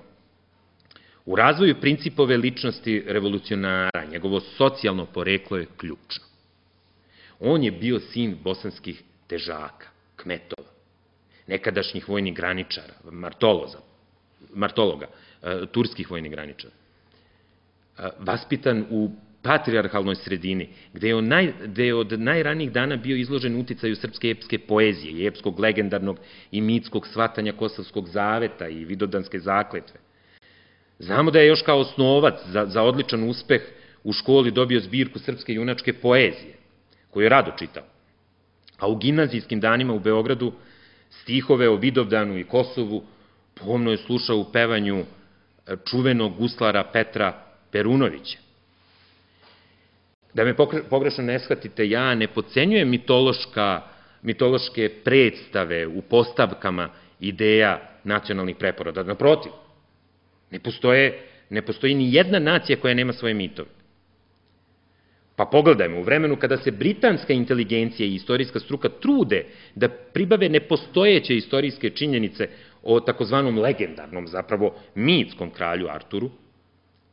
U razvoju Principove ličnosti revolucionara, njegovo socijalno poreklo je ključno. On je bio sin bosanskih težaka, kmetova, nekadašnjih vojnih graničara, martologa, turskih vojnih graničara. Vaspitan u patrijarhalnoj sredini, gde je od najranijih dana bio izložen uticaju srpske epske poezije i epskog legendarnog i mitskog shvatanja Kosovskog zaveta i Vidovdanske zakletve. Znamo da je još kao osnovac za odličan uspeh u školi dobio zbirku srpske junačke poezije, koju je rado čitao. A u gimnazijskim danima u Beogradu stihove o Vidovdanu i Kosovu pomno je slušao u pevanju čuvenog guslara Petra Perunovića. Da me pogrešno ne shvatite, ja ne podcenjujem mitološke predstave u postavkama ideja nacionalnih preporoda. Naprotiv, ne postoji ni jedna nacija koja nema svoje mitove. Pa pogledajmo, u vremenu kada se britanska inteligencija i istorijska struka trude da pribave nepostojeće istorijske činjenice o takozvanom legendarnom, zapravo mitskom kralju Arturu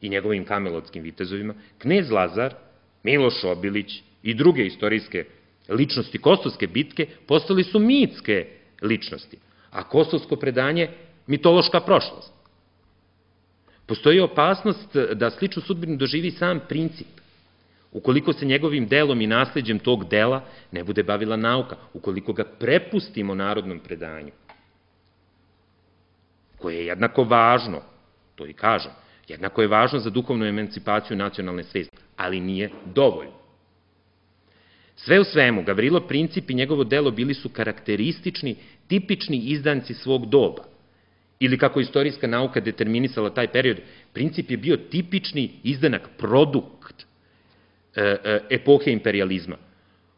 i njegovim kamelotskim vitezovima, knez Lazar, Miloš Obilić i druge istorijske ličnosti Kosovske bitke postali su mitske ličnosti, a kosovsko predanje mitološka prošlost. Postoji opasnost da sličnu sudbinu doživi sam Princip, ukoliko se njegovim delom i nasleđem tog dela ne bude bavila nauka, ukoliko ga prepustimo narodnom predanju, koje je jednako važno, to i kažem, jednako je važno za duhovnu emancipaciju nacionalne svesti, ali nije dovoljno. Sve u svemu, Gavrilo Princip i njegovo delo bili su karakteristični, tipični izdanci svog doba. Ili kako istorijska nauka determinisala taj period, Princip je bio tipični izdanak, produkt epohe imperializma,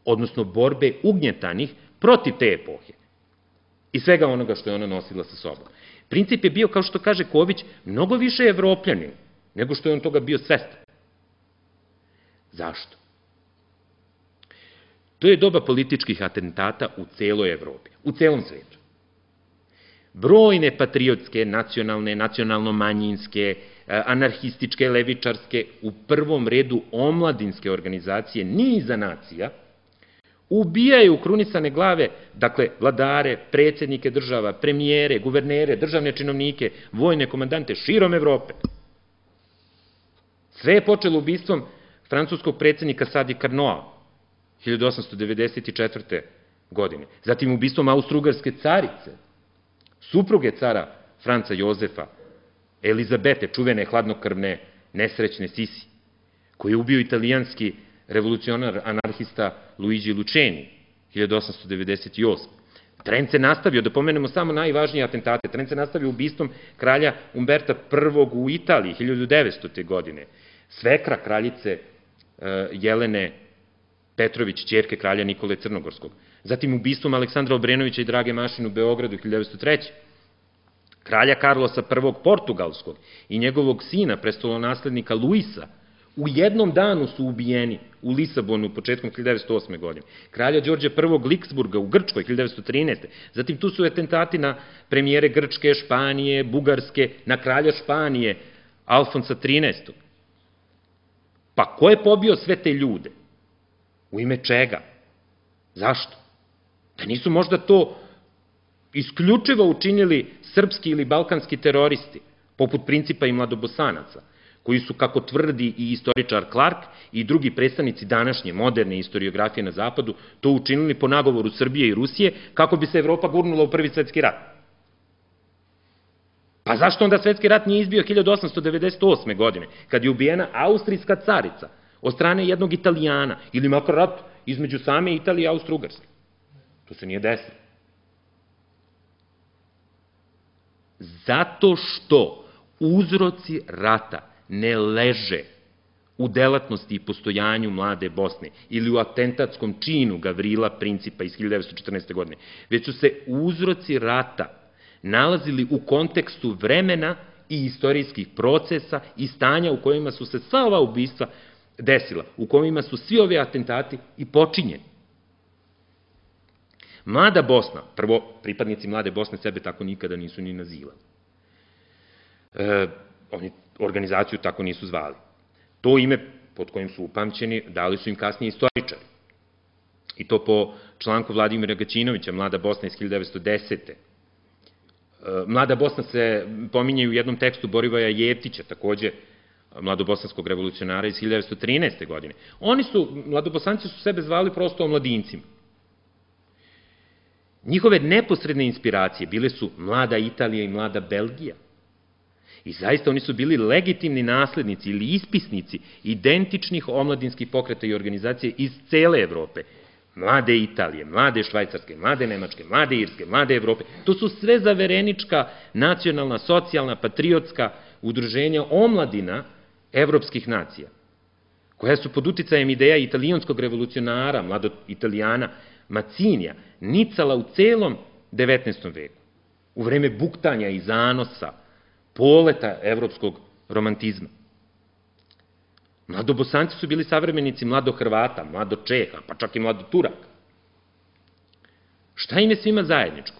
odnosno borbe ugnjetanih protiv te epohe i svega onoga što je ona nosila sa sobom. Princip je bio, kao što kaže Ković, mnogo više evropljanin nego što je on toga bio svestan. Zašto? To je doba političkih atentata u celoj Evropi, u celom svetu. Brojne patriotske, nacionalne, nacionalno-manjinske, anarhističke, levičarske, u prvom redu omladinske organizacije niza nacija, ubijaju krunisane glave, dakle, vladare, predsjednike država, premijere, guvernere, državne činovnike, vojne komandante širom Evrope. Sve je počelo ubistvom francuskog predsjednika Sadi Carnoa, hiljadu osamsto devedeset četvrte. godine. Zatim ubistvom austrougarske carice, supruge cara Franca Jozefa, Elizabete, čuvene hladnokrvne, nesrećne Sisi, koji je ubio italijanski revolucionar anarhista Luigi Luceni, hiljadu osamsto devedeset osme. Trend se nastavio, da pomenemo samo najvažnije atentate, trend se nastavio ubistvom kralja Umberta prvog. u Italiji, hiljadu devetstote. godine, svekra kraljice Jelene Petrović, ćerke kralja Nikole Crnogorskog. Zatim ubistvom Aleksandra Obrenovića i Drage Mašin u Beogradu, hiljadu devetsto treće. Kralja Karlosa prvog. Portugalskog i njegovog sina, prestolonaslednika Luisa, u jednom danu su ubijeni u Lisabonu početkom hiljadu devetsto osme. godine. Kralja Đorđa prvog. Liksburga u Grčkoj, hiljadu devetsto trinaeste. Zatim tu su atentati na premijere Grčke, Španije, Bugarske, na kralja Španije, Alfonsa trinaestog. Pa ko je pobio sve te ljude? U ime čega? Zašto? Da nisu možda to isključivo učinili srpski ili balkanski teroristi, poput Principa i Mladobosanaca, koji su, kako tvrdi i istoričar Clark i drugi predstavnici današnje moderne istoriografije na zapadu, to učinili po nagovoru Srbije i Rusije, kako bi se Evropa gurnula u Prvi svetski rat. Pa zašto onda svetski rat nije izbio hiljadu osamsto devedeset osme. godine, kad je ubijena austrijska carica od strane jednog Italijana, ili makar rat između same Italije i Austro-Ugarske? To se nije desilo. Zato što uzroci rata ne leže u delatnosti i postojanju mlade Bosne ili u atentatskom činu Gavrila Principa iz hiljadu devetsto četrnaeste. godine, već su se uzroci rata nalazili u kontekstu vremena i istorijskih procesa i stanja u kojima su se sva ova ubistva desila, u kojima su svi ovi atentati i počinjeni. Mlada Bosna, prvo, pripadnici Mlade Bosne sebe tako nikada nisu ni nazivali. E, oni organizaciju tako nisu zvali. To ime pod kojim su upamćeni dali su im kasnije istoričari. I to po članku Vladimira Gaćinovića, Mlada Bosna iz hiljadu devetsto desete. Mlada Bosna se pominje u jednom tekstu Borivoja Jeftića, takođe mladobosanskog revolucionara iz hiljadu devetsto trinaeste. godine. Oni su, mladobosanci su sebe zvali prosto omladincima. Njihove neposredne inspiracije bile su Mlada Italija i Mlada Belgija. I zaista oni su bili legitimni naslednici ili ispisnici identičnih omladinskih pokreta i organizacije iz cele Evrope. Mlade Italije, Mlade Švajcarske, Mlade Nemačke, Mlade Irske, Mlade Evrope. To su sve zaverenička, nacionalna, socijalna, patriotska udruženja omladina evropskih nacija, koja su pod uticajem ideja italijanskog revolucionara, mladog Italijana Macinija, nicala u celom devetnaestom. veku, u vreme buktanja i zanosa, poleta evropskog romantizma. Mladobosanci su bili savremenici mlado Hrvata, mlado Čeha, pa čak i mlado Turaka. Šta im je svima zajedničko?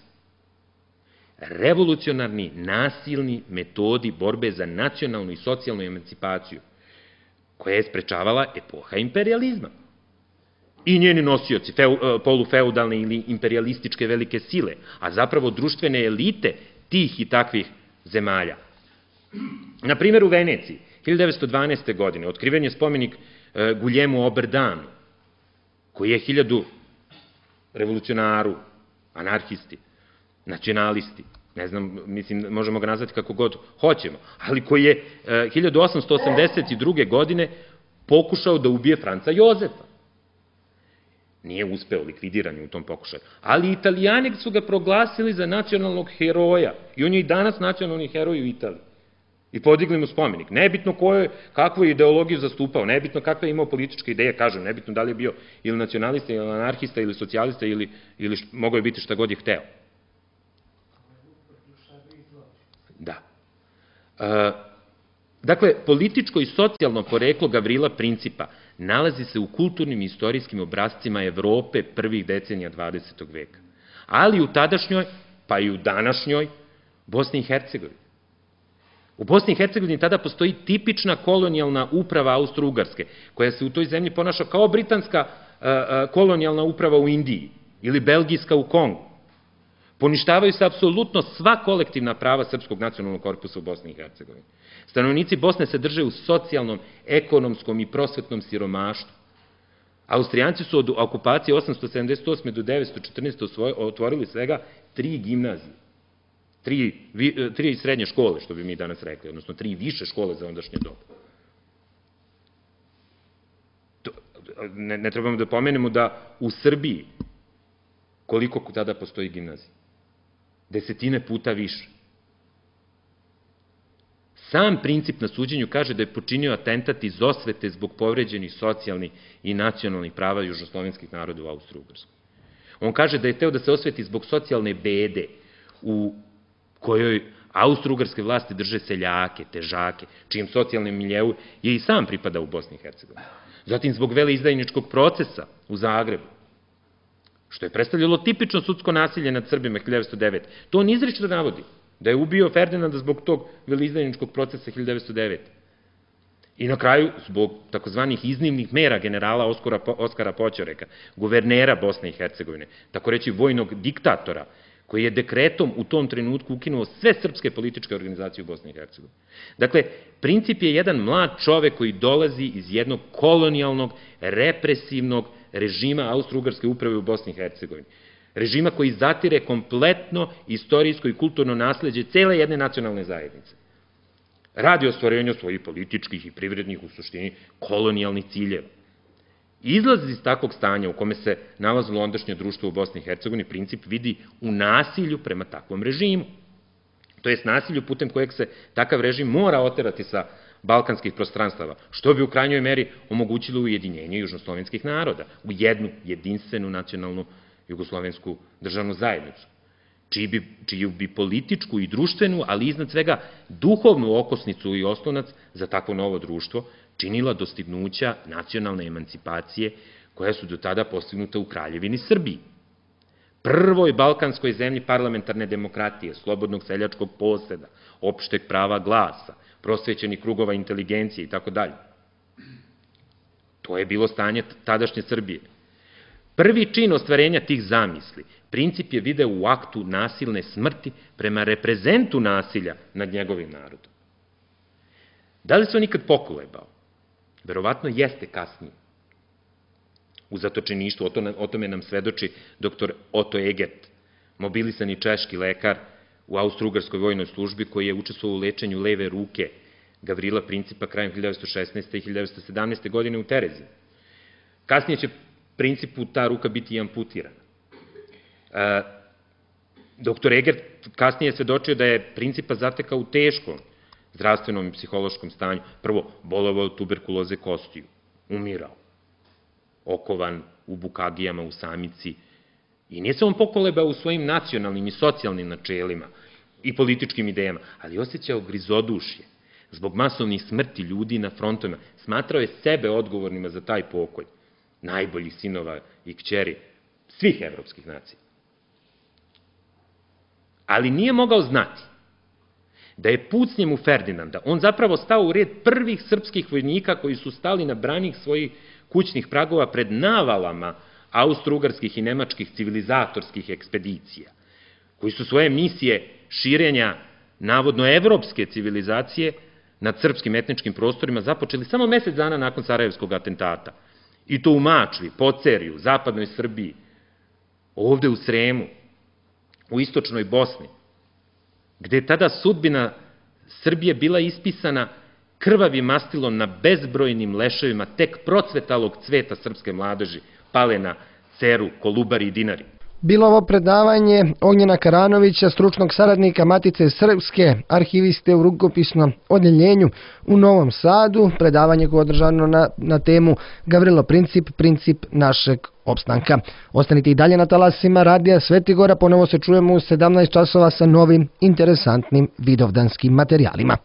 Revolucionarni, nasilni metodi borbe za nacionalnu i socijalnu emancipaciju, koja je sprečavala epoha imperializma. I njeni nosioci, polufeudalne ili imperialističke velike sile, a zapravo društvene elite tih i takvih zemalja. Na primjer, u Veneciji, hiljadu devetsto dvanaeste. godine, otkriven je spomenik Guljemu Oberdanu, koji je hiljadu revolucionaru, anarhisti, nacionalisti, ne znam, mislim, možemo ga nazvati kako god hoćemo, ali koji je hiljadu osamsto osamdeset druge. godine pokušao da ubije Franca Jozefa. Nije uspeo, likvidiran je u tom pokušaju. Ali Italijani su ga proglasili za nacionalnog heroja i on je i danas nacionalni heroj u Italiji. I podigli mu spomenik. Nebitno kakvu je ideologiju zastupao, nebitno kakve je imao političke ideje, kažem, nebitno da li je bio ili nacionalista, ili anarhista, ili socijalista, ili mogao je biti šta god je hteo. Da. Dakle, političko i socijalno poreklo Gavrila Principa nalazi se u kulturnim i istorijskim obrazcima Evrope prvih decenija dvadesetog. veka, ali u tadašnjoj, pa i u današnjoj, Bosni i Hercegovini. U Bosni i Hercegovini tada postoji tipična kolonijalna uprava Austro-Ugarske, koja se u toj zemlji ponaša kao britanska kolonijalna uprava u Indiji ili belgijska u Kongu. Poništavaju se apsolutno sva kolektivna prava srpskog nacionalnog korpusa u Bosni i Hercegovini. Stanovnici Bosne se drže u socijalnom, ekonomskom i prosvetnom siromaštvu. Austrijanci su od okupacije osamsto sedamdeset osme. do devetsto četrnaeste. otvorili svega tri gimnazije. Tri, tri srednje škole, što bi mi danas rekli, odnosno tri više škole za ondašnje dobu. Ne, ne trebamo da pomenemo da u Srbiji koliko tada postoji gimnazija? Desetine puta više. Sam princip na suđenju kaže da je počinio atentat iz osvete zbog povređenih socijalnih i nacionalnih prava južnoslovenskih naroda u Austro-Ugarskoj. On kaže da je hteo da se osveti zbog socijalne bede u kojoj austro-ugarske vlasti drže seljake, težake, čijem socijalnom miljeu je i sam pripadao u Bosni i Hercegovini. Zatim zbog veleizdajničkog procesa u Zagrebu, što je predstavljalo tipično sudsko nasilje nad Srbima hiljadu devetsto devete. To on izričito navodi, da je ubio Ferdinanda zbog tog veleizdajničkog procesa hiljadu devetsto devete. I na kraju, zbog takozvanih iznimnih mera generala Oskara Poćoreka, guvernera Bosne i Hercegovine, tako reći vojnog diktatora, koji je dekretom u tom trenutku ukinuo sve srpske političke organizacije u Bosni i Hercegovini. Dakle, Princip je jedan mlad čovek koji dolazi iz jednog kolonijalnog, represivnog režima Austro-Ugarske uprave u Bosni i Hercegovini. Režima koji zatire kompletno istorijsko i kulturno nasleđe cele jedne nacionalne zajednice. Radi o stvorenju svojih političkih i privrednih, u suštini, kolonijalnih ciljeva. Izlaz iz takvog stanja u kome se nalazilo ondašnje društvo u Bosni i Hercegovini, princip vidi u nasilju prema takvom režimu. To jest nasilju putem kojeg se takav režim mora oterati sa balkanskih prostranstava, što bi u krajnjoj meri omogućilo ujedinjenje južnoslovenskih naroda u jednu jedinstvenu nacionalnu jugoslovensku državnu zajednicu, čiju bi političku i društvenu, ali iznad svega duhovnu okosnicu i oslonac za takvo novo društvo činila dostignuća nacionalne emancipacije koja su do tada postignuta u Kraljevini Srbiji. Prvoj balkanskoj zemlji parlamentarne demokratije, slobodnog seljačkog poseda, opšteg prava glasa, prosvećenih krugova inteligencije i tako dalje. To je bilo stanje tadašnje Srbije. Prvi čin ostvarenja tih zamisli, princip je video u aktu nasilne smrti prema reprezentu nasilja nad njegovim narodom. Da li se on nikad pokolebao? Verovatno jeste kasnije. U zatočeništvu, o tome nam svedoči doktor Oto Egert, mobilisani češki lekar u Austro-Ugarskoj vojnoj službi koji je učestvovao u lečenju leve ruke Gavrila Principa krajem hiljadu devetsto šesnaeste. i hiljadu devetsto sedamnaeste. godine u Tereziji. Kasnije će Principu ta ruka biti amputirana. Doktor Egert kasnije je svedočio da je Principa zatekao u teškom zdravstvenom i psihološkom stanju. Prvo, bolovao od tuberkuloze kostiju, umirao, okovan u bukagijama, u samici. I nije se on pokolebao u svojim nacionalnim i socijalnim načelima i političkim idejama, ali osjećao grizodušje zbog masovnih smrti ljudi na frontovima. Smatrao je sebe odgovornima za taj pokolj, najboljih sinova i kćeri svih evropskih nacija. Ali nije mogao znati da je pucnjem u Ferdinanda on zapravo stao u red prvih srpskih vojnika koji su stali na branik svojih kućnih pragova pred navalama austro-ugarskih i nemačkih civilizatorskih ekspedicija, koji su svoje misije širenja navodno evropske civilizacije nad srpskim etničkim prostorima započeli samo mesec dana nakon Sarajevskog atentata. I to u Mačvi, Pocerju, zapadnoj Srbiji, ovde u Sremu, u istočnoj Bosni, gde je tada sudbina Srbije bila ispisana krvavim mastilom na bezbrojnim leševima tek procvetalog cveta srpske mladeži, pale na Ceru, Kolubari i Dinari. Bilo ovo predavanje Ognjena Karanovića, stručnog saradnika Matice Srpske, arhiviste u rukopisnom odjeljenju u Novom Sadu, predavanje koje je održano na, na temu Gavrilo Princip, princip našeg opstanka. Ostanite i dalje na talasima Radija Svetigora, ponovo se čujemo u sedamnaest časova sa novim interesantnim vidovdanskim materijalima.